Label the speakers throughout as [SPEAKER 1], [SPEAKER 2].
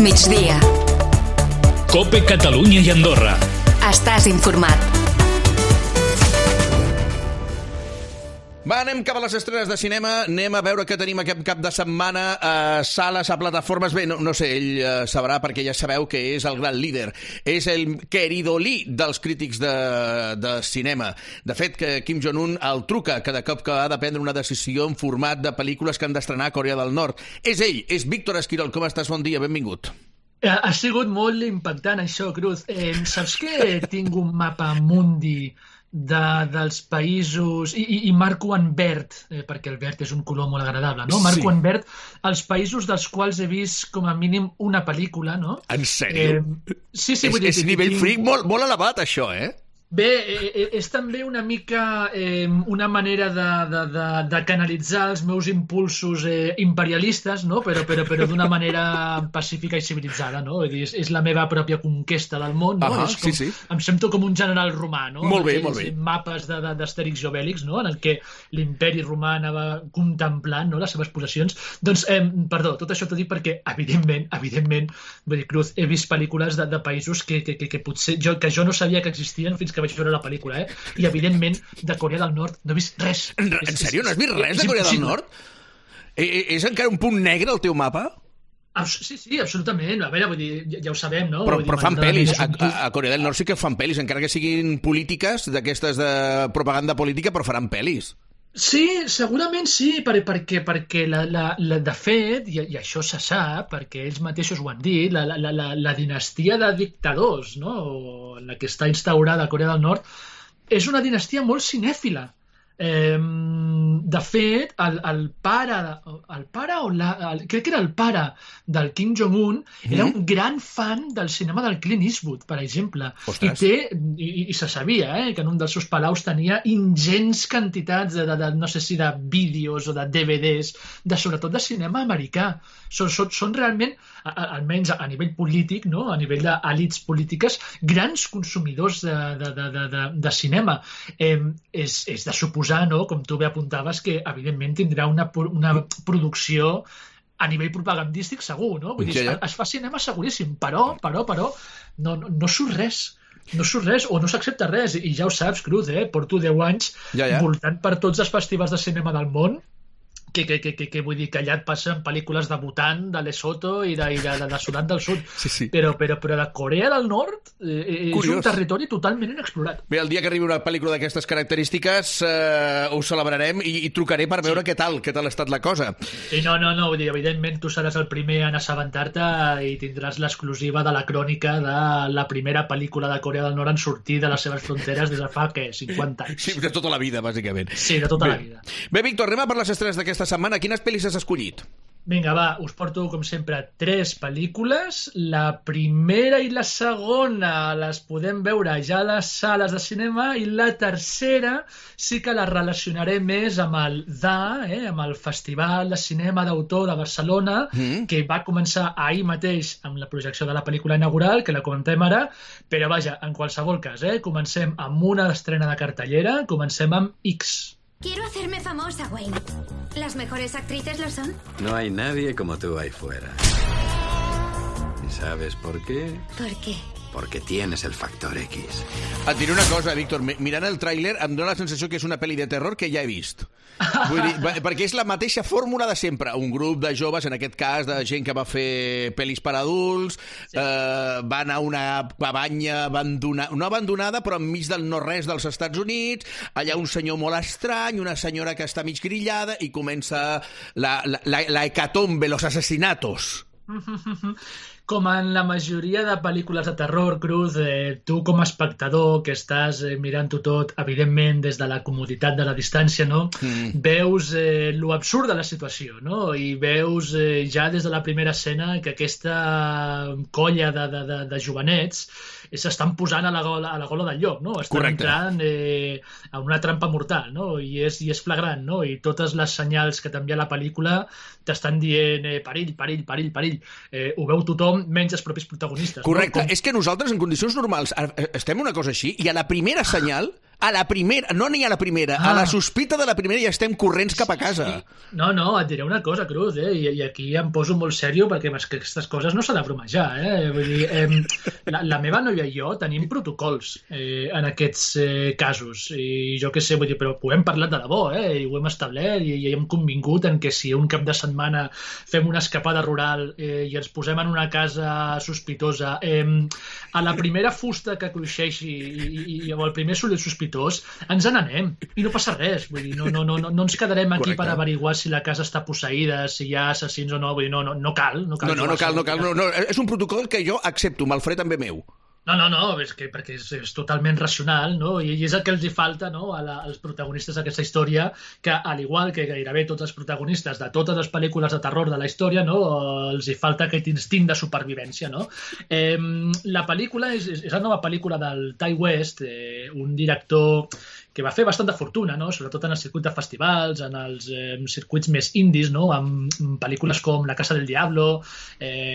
[SPEAKER 1] migdia.
[SPEAKER 2] COPE Catalunya i Andorra.
[SPEAKER 1] Estàs informat.
[SPEAKER 3] Va, anem cap a les estrenes de cinema. Anem a veure què tenim aquest cap de setmana a sales, a plataformes. Bé, no sé, ell sabrà, perquè ja sabeu que és el gran líder. És el queridolí dels crítics de cinema. De fet, que Kim Jong-un el truca cada cop que ha de prendre una decisió en format de pel·lícules que han d'estrenar a Corea del Nord. És ell, és Víctor Esquirol. Com estàs? Bon dia, benvingut.
[SPEAKER 4] Ha sigut molt impactant, això, Cruz. Saps que tinc un mapa mundi dels països, i marco en verd, perquè el verd és un color molt agradable, no? Marco en verd els països dels quals he vist com a mínim una pel·lícula, no?
[SPEAKER 3] En sèrio?
[SPEAKER 4] Sí,
[SPEAKER 3] és nivell freak molt elevat, això, eh?
[SPEAKER 4] Bé, és també una mica una manera de canalitzar els meus impulsos imperialistes, no? Però d'una manera pacífica i civilitzada, no? És la meva pròpia conquesta del món, no?
[SPEAKER 3] Sí.
[SPEAKER 4] Em sento com un general romà, no?
[SPEAKER 3] Molt bé.
[SPEAKER 4] Mapes d'Astèrix i Obèlix, no? En el que l'imperi romà anava contemplant, no? Les seves possessions. Doncs, perdó, tot això t'ho dic perquè, evidentment, vull dir, Cruz, he vist pel·lícules de països que potser jo no sabia que existien fins que vaig veure la pel·lícula, I evidentment de Corea del Nord no he vist res.
[SPEAKER 3] En sèrio? No has vist res de Corea del Nord? És encara un punt negre el teu mapa?
[SPEAKER 4] Sí, absolutament. A veure, vull dir, ja ho sabem, no?
[SPEAKER 3] Però fan pel·lis. A Corea del Nord sí que fan pel·lis, encara que siguin polítiques, d'aquestes de propaganda política, però faran pel·lis.
[SPEAKER 4] Sí, segurament sí, perquè de fet, i això se sap, perquè ells mateixos ho han dit, la dinastia de dictadors, no? La que està instaurada a Corea del Nord, és una dinastia molt cinèfila. De fet, el pare crec que era el pare del Kim Jong-un, era un gran fan del cinema del Clint Eastwood, per exemple. I se sabia que en un dels seus palaus tenia ingents quantitats no sé si de vídeos o de DVDs, sobretot de cinema americà. Són realment, almenys a nivell polític, no? A nivell d'elits polítiques, grans consumidors de cinema. És de suposar, no? Com tu bé apuntaves, que evidentment tindrà una producció a nivell propagandístic segur, no? Vull dir, es fa cinema seguríssim, però no surt res. No surt res o no s'accepta res, i ja ho saps, Cruz, porto 10 anys voltant per tots els festivals de cinema del món, que vull dir que allà et passen pel·lícules de Bhutan, de Lesotho i de Sudan del Sud.
[SPEAKER 3] Sí.
[SPEAKER 4] Però de Corea del Nord és un territori totalment inexplorat.
[SPEAKER 3] Bé, el dia que arribi una pel·lícula d'aquestes característiques ho celebrarem i trucaré per veure què tal ha estat la cosa.
[SPEAKER 4] Sí, no, vull dir, evidentment tu seràs el primer en assabentar-te i tindràs l'exclusiva de la crònica de la primera pel·lícula de Corea del Nord en sortir de les seves fronteres des de fa, 50 anys.
[SPEAKER 3] Sí, de tota la vida, bàsicament.
[SPEAKER 4] Sí, de tota la vida.
[SPEAKER 3] Bé, Víctor, anem a per les estrenes d'aquesta setmana. Quines pel·lis has escollit?
[SPEAKER 4] Vinga, va, us porto, com sempre, 3 pel·lícules. La primera i la segona les podem veure ja a les sales de cinema, i la tercera sí que la relacionaré més amb el amb el Festival de Cinema d'Autor de Barcelona, que va començar ahir mateix amb la projecció de la pel·lícula inaugural, que la comentem ara, però vaja, en qualsevol cas, comencem amb una estrena de cartellera, comencem amb X.
[SPEAKER 5] Quiero hacerme famosa, Wayne. ¿Las mejores actrices lo son?
[SPEAKER 6] No hay nadie como tú ahí fuera. ¿Y sabes por qué?
[SPEAKER 5] ¿Por qué?
[SPEAKER 6] Porque tienes el factor X.
[SPEAKER 3] Et diré una cosa, Víctor. Mirant el tràiler em dóna la sensació que és una pel·li de terror que ja he vist. Vull dir, perquè és la mateixa fórmula de sempre. Un grup de joves, en aquest cas, de gent que va fer pel·lis per adults, van a una cabanya no abandonada, però enmig del no-res dels Estats Units, allà un senyor molt estrany, una senyora que està mig grillada, i comença la hecatombe, los asesinatos.
[SPEAKER 4] Com en la majoria de pel·lícules de terror, Cruz, tu com a espectador que estàs mirant-ho tot, evidentment, des de la comoditat de la distància, no? Veus lo absurd de la situació, no? I veus ja des de la primera escena que aquesta colla de jovenets s'estan posant a la gola del llop, no? Estan entrant a una trampa mortal, no? I és flagrant, no? I totes les senyals que t'envia la pel·lícula t'estan dient perill. Ho veu tothom, menys els propis protagonistes.
[SPEAKER 3] Correcte. No? És que nosaltres, en condicions normals, estem una cosa així, i a la primera senyal A la primera, no ni a la primera, a la sospita de la primera ja estem corrents cap a casa.
[SPEAKER 4] No, et diré una cosa, Cruz, i aquí em poso molt sèrio perquè aquestes coses no s'ha de bromejar, Vull dir, la meva noia i jo tenim protocols en aquests casos, i jo què sé, vull dir, però ho hem parlat de debò, i ho hem establert, i hem convingut en que si un cap de setmana fem una escapada rural i ens posem en una casa sospitosa, a la primera fusta que cruixeixi o el primer soroll sospitós, ens n'anem i no passa res, vull dir, no ens quedarem aquí per averiguar si la casa està posseïda, si hi ha assassins o no, vull dir, no cal. No cal.
[SPEAKER 3] És un protocol que jo accepto, me'l faré també meu.
[SPEAKER 4] No, perquè és totalment racional, no? I és el que els hi falta, no? als protagonistes d'aquesta història, que al igual que gairebé tots els protagonistes de totes les pel·lícules de terror de la història, no? Els hi falta aquest instint de supervivència, no? La pel·lícula és la nova pel·lícula del Ty West, un director que va fer bastant de fortuna, no? Sobretot en el circuit de festivals, en els circuits més indis, no? Amb pel·lícules com La casa del diablo,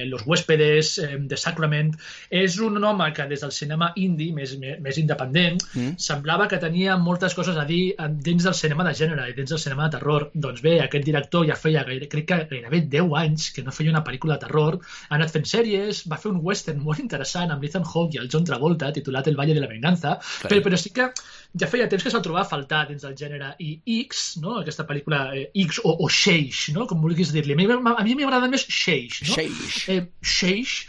[SPEAKER 4] Los huéspedes, The Sacrament. És un home que des del cinema indie, més independent, semblava que tenia moltes coses a dir dins del cinema de gènere i dins del cinema de terror. Doncs bé, aquest director ja feia, crec que gairebé 10 anys que no feia una pel·lícula de terror, ha anat fent sèries, va fer un western molt interessant amb Ethan Hawke i el John Travolta, titulat El Valle de la Venganza, però sí que ja feia temps que se'l trobava a faltar dins del gènere, i X, no? Aquesta pel·lícula X o Sheix, no? Com vulguis dir-li. A mi m'agrada més Sheix, no? Sheix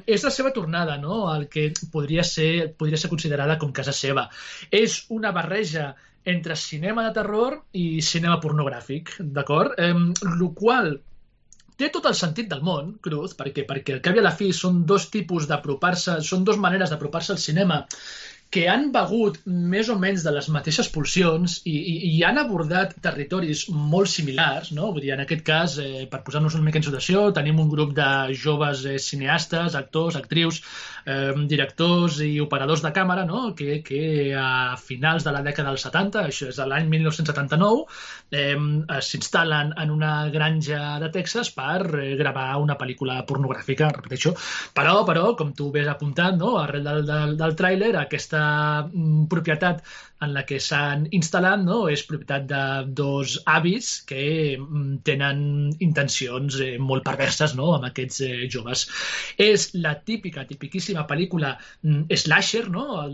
[SPEAKER 4] és la seva tornada, no? El que podria ser considerada com casa seva. És una barreja entre cinema de terror i cinema pornogràfic, d'acord? Lo qual té tot el sentit del món, Cruz, perquè al cap i a la fi són dos maneres d'apropar-se al cinema que han begut més o menys de les mateixes pulsions i han abordat territoris molt similars, no? Vull dir, en aquest cas, per posar-nos una mica en situació, tenim un grup de joves cineastes, actors, actrius, directors i operadors de càmera, no? que a finals de la dècada dels 70, això és l'any 1979, s'instal·len en una granja de Texas per gravar una pel·lícula pornogràfica, repeteixo. Però, com tu ves apuntant, no? Arrel del tràiler, aquesta propietat en la que s'han instal·lat, no? És propietat de dos avis que tenen intencions molt perverses, no? Amb aquests joves. És la tipiquíssima pel·lícula slasher, no?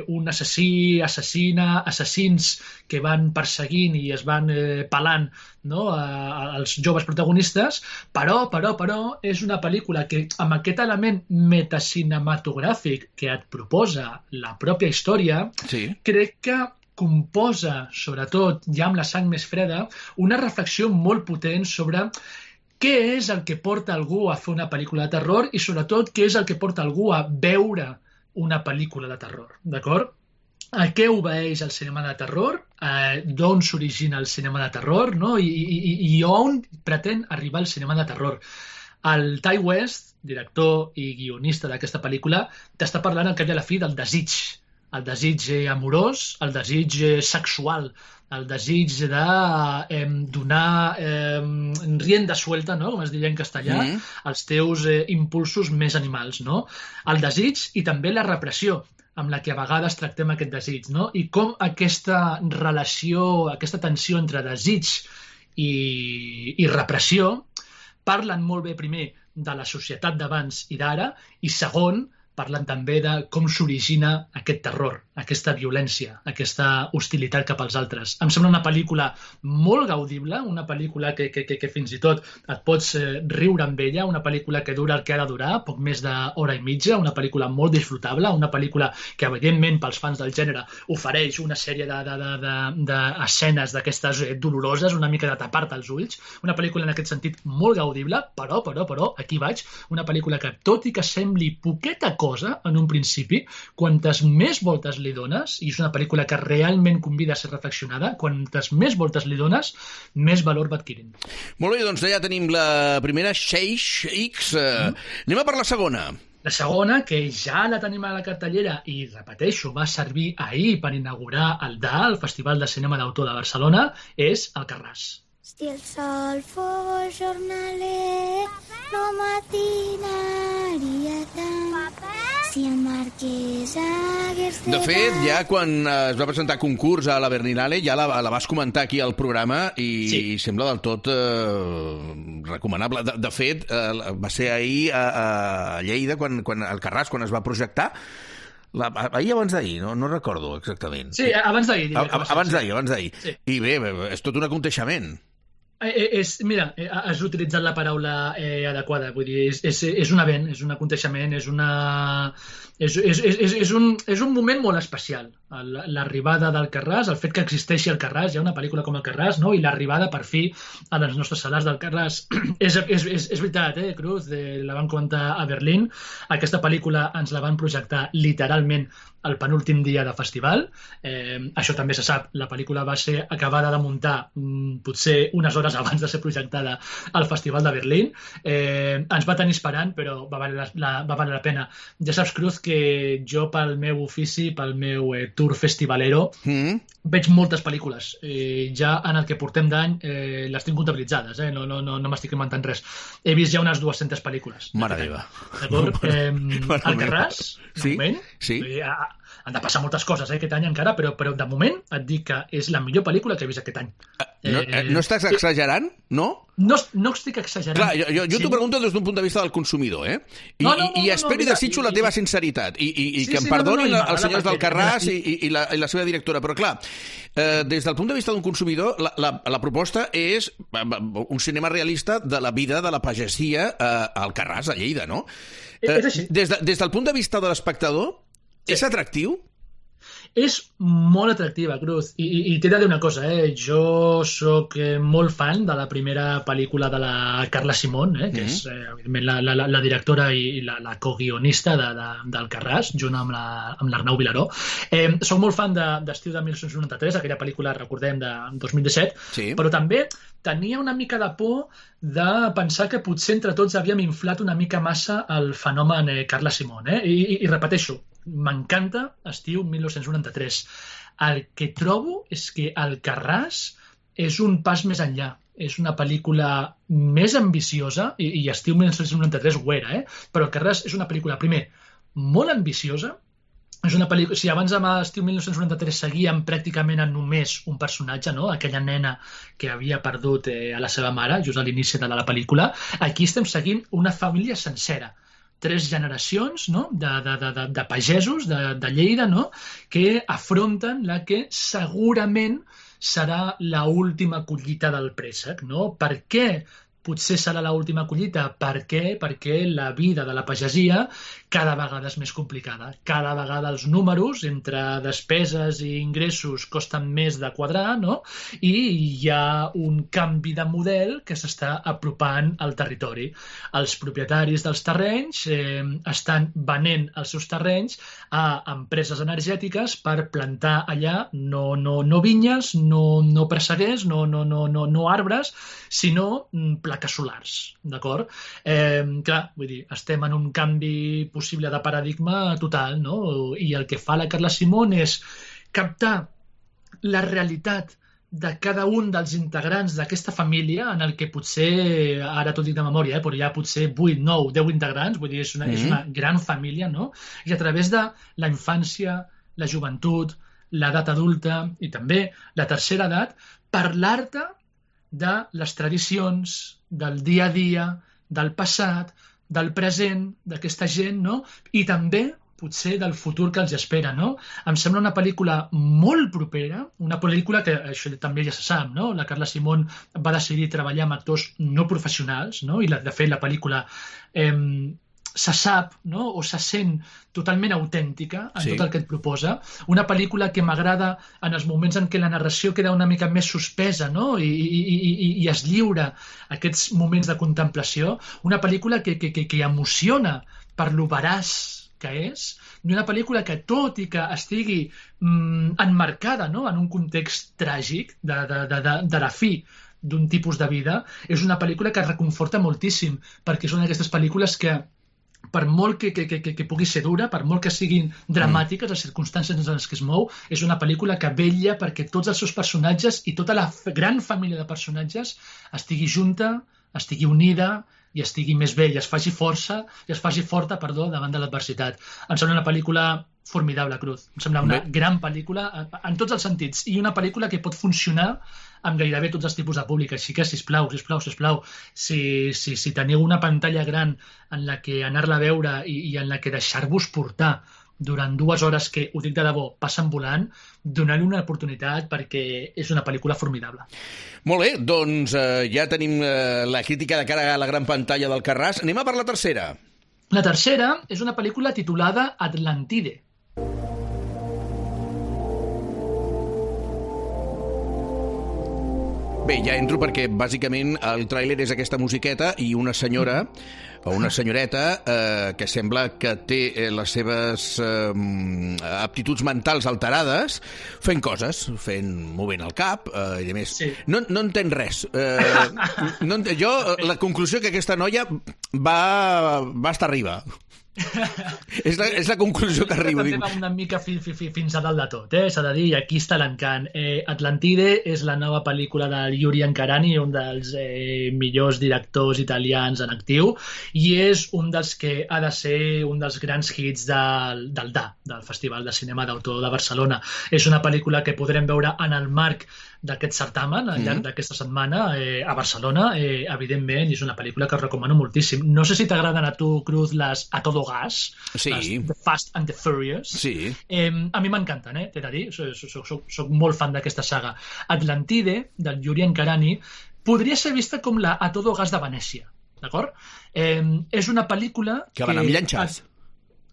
[SPEAKER 4] Un assassí, assassina, assassins que van perseguint i es van pelant, no? Els joves protagonistes, però és una pel·lícula que amb aquest element metacinematogràfic que et proposa la pròpia història, crec que composa, sobretot ja amb la sang més freda, una reflexió molt potent sobre què és el que porta algú a fer una pel·lícula de terror i sobretot què és el que porta algú a veure una pel·lícula de terror, d'acord? A què obeeix el cinema de terror, d'on s'origina el cinema de terror, no? I on pretén arribar el cinema de terror. El Ty West, director i guionista d'aquesta pel·lícula, t'està parlant al cap i a la fi del desig. El desig amorós, el desig sexual, el desig de donar rienda suelta, no? Com es diria en castellà, als teus impulsos més animals, no? El desig i també la repressió, amb la que a vegades tractem aquest desig, no? I com aquesta relació, aquesta tensió entre desig i repressió parlen molt bé, primer, de la societat d'abans i d'ara, i segon, parlen també de com s'origina aquest terror, aquesta violència, aquesta hostilitat cap als altres. Em sembla una pel·lícula molt gaudible, una pel·lícula que fins i tot et pots riure amb ella, una pel·lícula que dura el que ha de durar, poc més d'hora i mitja, una pel·lícula molt disfrutable, una pel·lícula que, evidentment, pels fans del gènere, ofereix una sèrie d'escenes d'aquestes doloroses, una mica de tapar-te els ulls, una pel·lícula en aquest sentit molt gaudible, però, aquí vaig, una pel·lícula que, tot i que sembli poqueta cosa en un principi, quantes més voltes li dones, i és una pel·lícula que realment convida a ser reflexionada, quantes més voltes li dones, més valor va adquirint.
[SPEAKER 3] Molt bé, doncs ja tenim la primera, Sheix X. Anem a per la segona.
[SPEAKER 4] La segona, que ja la tenim a la cartellera i, repeteixo, va servir ahir per inaugurar el DA, el Festival de Cinema d'Autor de Barcelona, és Alcarràs.
[SPEAKER 1] Si el sol fos jornaler, no matinaria tant. si el marquès hagués
[SPEAKER 3] De fet, ja quan es va presentar concurs a la Berlinale, ja la vas comentar aquí al programa i sembla del tot recomanable. De fet, va ser ahir a Lleida, quan Alcarràs, quan es va projectar, ahir abans d'ahir, no recordo exactament.
[SPEAKER 4] Sí, abans d'ahir.
[SPEAKER 3] Abans d'ahir. Sí. I bé, és tot un aconteixement.
[SPEAKER 4] Mira, has utilitzat la paraula adequada, vull dir, és un event, és un aconteixement, és un moment molt especial. L'arribada d'Alcarràs, el fet que existeixi Alcarràs, hi ha una pel·lícula com Alcarràs, no? I l'arribada, per fi, a les nostres sales d'Alcarràs. És veritat, Cruz, la van comentar a Berlín. Aquesta pel·lícula ens la van projectar literalment el penúltim dia de festival. Això també se sap, la pel·lícula va ser acabada de muntar potser unes hores abans de ser projectada al Festival de Berlín. Ens va tenir esperant, però va valer la pena. Ja saps, Cruz, que jo pel meu ofici, pel meu tour festivalero, veig moltes pel·lícules. Ja en el que portem d'any les tinc comptabilitzades, no m'estic inventant res. He vist ja unes 200 pel·lícules.
[SPEAKER 3] Mare meva.
[SPEAKER 4] D'acord? Alcarràs, de moment, han de passar moltes coses aquest any encara, però de moment et dic que és la millor pel·lícula que he vist aquest any.
[SPEAKER 3] No estàs exagerant, no?
[SPEAKER 4] No estic exagerant.
[SPEAKER 3] Clar, jo t'ho pregunto des d'un punt de vista del consumidor, I espero i desitjo la teva sinceritat i que em perdonin els senyors d'Alcarràs i la seva directora, però clar, des del punt de vista d'un consumidor, la proposta és un cinema realista de la vida de la pagesia a Alcarràs, a Lleida, no?
[SPEAKER 4] És així.
[SPEAKER 3] Des del punt de vista de l'espectador, és atractiu?
[SPEAKER 4] És molt atractiva, Cruz, i t'he de dir una cosa, jo sóc molt fan de la primera pel·lícula de la Carla Simón, que és evidentment la directora i la coguionista d'Alcarràs, junt amb l'Arnau Vilaró. Soc molt fan d'Estiu de 1993, aquella pel·lícula, recordem, de 2017, però també tenia una mica de por de pensar que potser entre tots havíem inflat una mica massa el fenomen Carla Simón. I repeteixo, m'encanta Estiu 1993. El que trobo és que Alcarràs és un pas més enllà. És una pel·lícula més ambiciosa, i Estiu 1993 ho era, però Alcarràs és una pel·lícula, primer, molt ambiciosa. És una pel·lícula, si abans amb Estiu 1993 seguíem pràcticament en només un personatge, no? Aquella nena que havia perdut a la seva mare, just a l'inici de la pel·lícula, aquí estem seguint una família sencera. 3 generacions, no? de pagesos de Lleida, no? Que afronten la que segurament serà l'última collita del préssec. No? Per què potser serà l'última collita? Per què? Perquè la vida de la pagesia cada vegada és més complicada. Cada vegada els números entre despeses i ingressos costen més de quadrar, no? I hi ha un canvi de model que s'està apropant al territori. Els propietaris dels terrenys estan venent els seus terrenys a empreses energètiques per plantar allà no vinyes, no presseguers, no arbres, sinó plaques solars, d'acord? Clar, vull dir, estem en un canvi possible de paradigma total, no? I el que fa la Carla Simón és captar la realitat de cada un dels integrants d'aquesta família, en el que potser, ara t'ho dic de memòria, però hi ha potser 8, 9, 10 integrants, vull dir, és una gran família, no? I a través de la infància, la joventut, l'edat adulta i també la tercera edat, parlar-te de les tradicions, del dia a dia, del passat, del present, d'aquesta gent, no? I també, potser, del futur que els espera, no? Em sembla una pel·lícula molt propera, una pel·lícula que, això també ja se sap, no? La Carla Simón va decidir treballar amb actors no professionals, no? I, de fet, la pel·lícula se sap, no? O se sent totalment autèntica en tot el que et proposa. Una pel·lícula que m'agrada en els moments en què la narració queda una mica més suspesa, no? I es lliura aquests moments de contemplació. Una pel·lícula que emociona per lo veraç que és, i una pel·lícula que, tot i que estigui emmarcada, no? En un context tràgic de la fi d'un tipus de vida, és una pel·lícula que reconforta moltíssim, perquè són aquestes pel·lícules que, per molt que pugui ser dura, per molt que siguin dramàtiques les circumstàncies en les que es mou, és una pel·lícula que vetlla perquè tots els seus personatges i tota la gran família de personatges estigui junta, estigui unida, i estigui més bé i es faci forta, davant de l'adversitat. Em sembla una pel·lícula formidable, Cruz. Em sembla una gran pel·lícula en tots els sentits i una pel·lícula que pot funcionar amb gairebé tots els tipus de públic. Així que, sisplau, si teniu una pantalla gran en la que anar-la a veure i en la que deixar-vos portar durant 2 hores que, ho dic de debò, passen volant, donar-li una oportunitat perquè és una pel·lícula formidable.
[SPEAKER 3] Molt bé, doncs ja tenim la crítica de cara a la gran pantalla del Carràs. Anem a per la tercera.
[SPEAKER 4] La tercera és una pel·lícula titulada Atlantide.
[SPEAKER 3] Bé, ja entro perquè bàsicament el tràiler és aquesta musiqueta i una senyora o una senyoreta que sembla que té les seves aptituds mentals alterades fent coses, movent el cap i a més. Sí. No entenc res. La conclusió que aquesta noia va estar arriba. És la conclusió que arribo.
[SPEAKER 4] També va una mica fins a dalt de tot, s'ha de dir, i aquí està l'encant. Atlantide és la nova pel·lícula de Yuri Ankarani, un dels millors directors italians en actiu, i és un dels que ha de ser un dels grans hits del DA, del Festival de Cinema d'Autor de Barcelona. És una pel·lícula que podrem veure en el marc d'aquest certamen al llarg d'aquesta setmana a Barcelona, evidentment, i és una pel·lícula que us recomano moltíssim. No sé si t'agraden a tu, Cruz, les A Todo Gas,
[SPEAKER 3] sí.
[SPEAKER 4] Les The Fast and the Furious.
[SPEAKER 3] Sí.
[SPEAKER 4] A mi m'encanten, t'he de dir, soc molt fan d'aquesta saga. Atlantide, del Yuri Ankarani, podria ser vista com la A Todo Gas de Venècia, d'acord? És una pel·lícula
[SPEAKER 3] que van amb llanxes.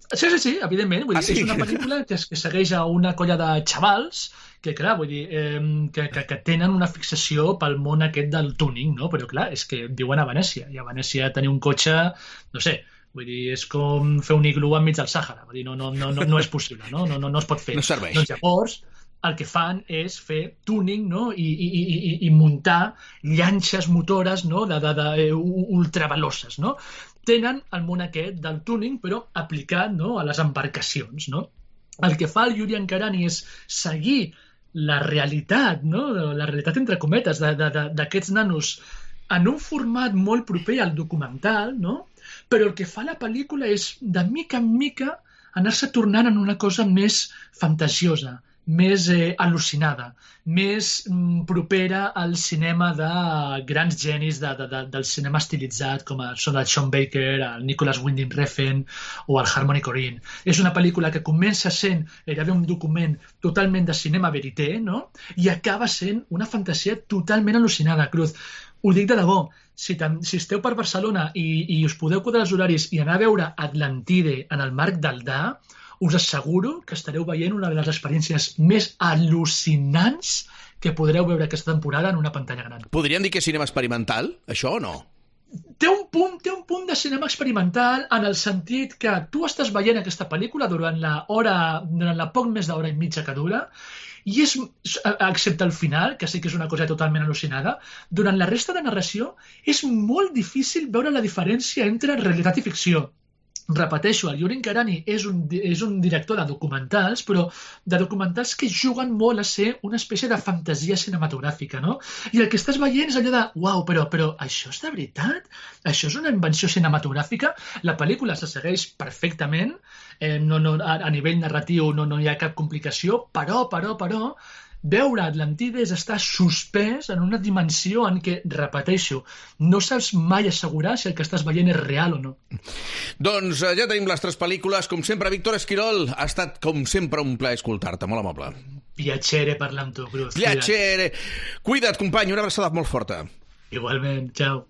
[SPEAKER 4] Sí, evidentment. Vull dir, és una pel·lícula que segueix a una colla de xavals que, clar, vull dir, que tenen una fixació pel món aquest del tuning, no? Però, clar, és que viuen a Venècia, i a Venècia tenir un cotxe, no sé, vull dir, és com fer un iglú enmig del Sàhara, vull dir, no és possible, no es pot fer.
[SPEAKER 3] No serveix.
[SPEAKER 4] Doncs llavors, el que fan és fer tuning, no? I muntar llanxes motores, no? Ultraveloses, no? Tenen el món aquest del tuning, però aplicat, no? A les embarcacions, no? El que fa el Yuri Ankarani és seguir la realitat, no? La realitat entre cometes d'aquests nanos en un format molt proper al documental, no? Però el que fa la pel·lícula és, de mica en mica, anar-se tornant en una cosa més fantasiosa, més al·lucinada, més propera al cinema de grans genis del cinema estilitzat, com són el Sean Baker, el Nicholas Winding Refn o el Harmony Korine. És una pel·lícula que comença sent gairebé un document totalment de cinema verité, no? I acaba sent una fantasia totalment al·lucinada, Cruz. Ho dic de debò, si esteu per Barcelona i us podeu quadrar els horaris i anar a veure Atlantide en el marc del DA, us asseguro que estareu veient una de les experiències més al·lucinants que podreu veure aquesta temporada en una pantalla gran.
[SPEAKER 3] Podríem dir que és cinema experimental, això o no?
[SPEAKER 4] Té un punt de cinema experimental en el sentit que tu estàs veient aquesta pel·lícula durant la poc més d'hora i mitja que dura, i és, excepte el final, que sí que és una cosa totalment al·lucinada, durant la resta de narració és molt difícil veure la diferència entre realitat i ficció. Repeteixo, el Yuri Ankarani és un director de documentals, però de documentals que juguen molt a ser una espècie de fantasia cinematogràfica, no? I el que estàs veient és allò de, uau, però això és de veritat? Això és una invenció cinematogràfica? La pel·lícula se segueix perfectament, a nivell narratiu no hi ha cap complicació, però, veure Atlantide és estar suspès en una dimensió en què, repeteixo, no saps mai assegurar si el que estàs veient és real o no.
[SPEAKER 3] Doncs ja tenim les 3 pel·lícules. Com sempre, Víctor Esquirol, ha estat com sempre un plaer escoltar-te, molt amable.
[SPEAKER 4] Piacere parlar amb tu, Cruz.
[SPEAKER 3] Piacere. Cuida't, company, una abraçada molt forta.
[SPEAKER 4] Igualment, ciao.